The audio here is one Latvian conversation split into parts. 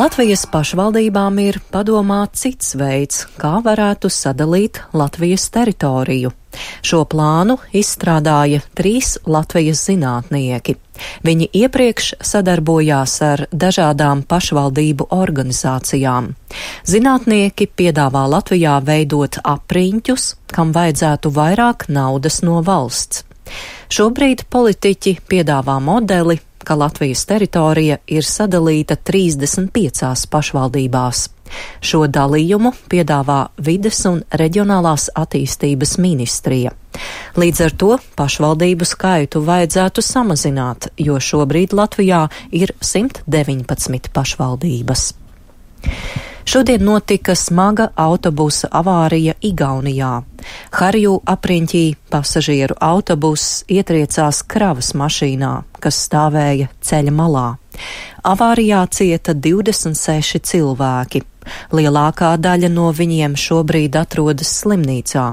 Latvijas pašvaldībām ir padomā cits veids, kā varētu sadalīt Latvijas teritoriju. Šo plānu izstrādāja 3 Latvijas zinātnieki. Viņi iepriekš sadarbojās ar dažādām pašvaldību organizācijām. Zinātnieki piedāvā Latvijā veidot apriņķus, kam vajadzētu vairāk naudas no valsts. Šobrīd politiķi piedāvā modeli, ka Latvijas teritorija ir sadalīta 35 pašvaldībās. Šo dalījumu piedāvā Vides un reģionālās attīstības ministrija. Līdz ar to pašvaldību skaitu vajadzētu samazināt, jo šobrīd Latvijā ir 119 pašvaldības. Šodien notika smaga autobusa avārija Igaunijā. Harju apriņķī pasažieru autobuss ietriecās kravas mašīnā, kas stāvēja ceļa malā. Avārijā cieta 26 cilvēki. Lielākā daļa no viņiem šobrīd atrodas slimnīcā.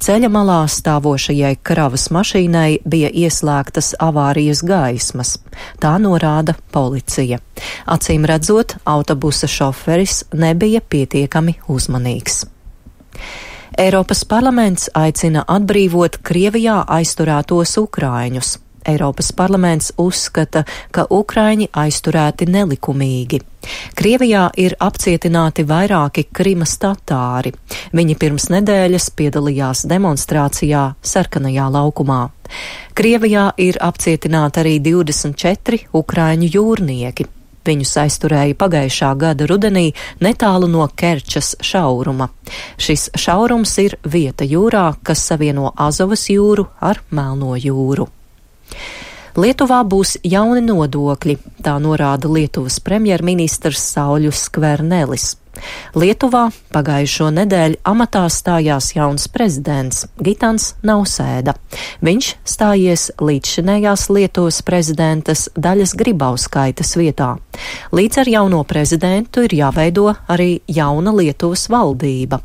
Ceļa malā stāvošajai kravas mašīnai bija ieslēgtas avārijas gaismas. Tā norāda policija. Acīm redzot, autobusa šoferis nebija pietiekami uzmanīgs. Eiropas parlaments aicina atbrīvot Krievijā aizturētos ukrāņus. Eiropas parlaments uzskata, ka ukrāņi aizturēti nelikumīgi. Krievijā ir apcietināti vairāki Krimas tatāri. Viņi pirms nedēļas piedalījās demonstrācijā Sarkanajā laukumā. Krievijā ir apcietināti arī 24 ukrāņu jūrnieki. Viņus aizturēja pagājušā gada rudenī netālu no Kerčas šauruma. Šis šaurums ir vieta jūrā, kas savieno Azovas jūru ar Melno jūru. Lietuvā būs jauni nodokļi, tā norāda Lietuvas premjerministrs Sauļus Skvernelis. Lietuvā pagājušo nedēļu amatā stājās jauns prezidents Gitans Nausēda. Viņš stājies līdzšinējās Lietuvas prezidentas Daļas Gribauskaitas vietā. Līdz ar jauno prezidentu ir jāveido arī jauna Lietuvas valdība.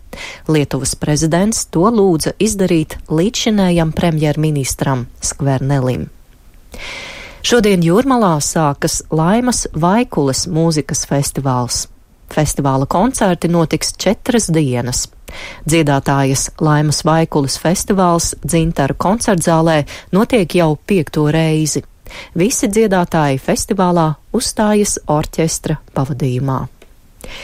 Lietuvas prezidents to lūdza izdarīt līdzšinējam premjerministram Skvernelim. Šodien Jūrmalā sākas Laimas Vaikules mūzikas festivāls. Festivāla koncerti notiks 4 dienas. Dziedātājas Laimas Vaikules festivāls Dzintaru koncertzālē notiek jau 5. reizi. Visi dziedātāji festivālā uzstājas orķestra pavadījumā.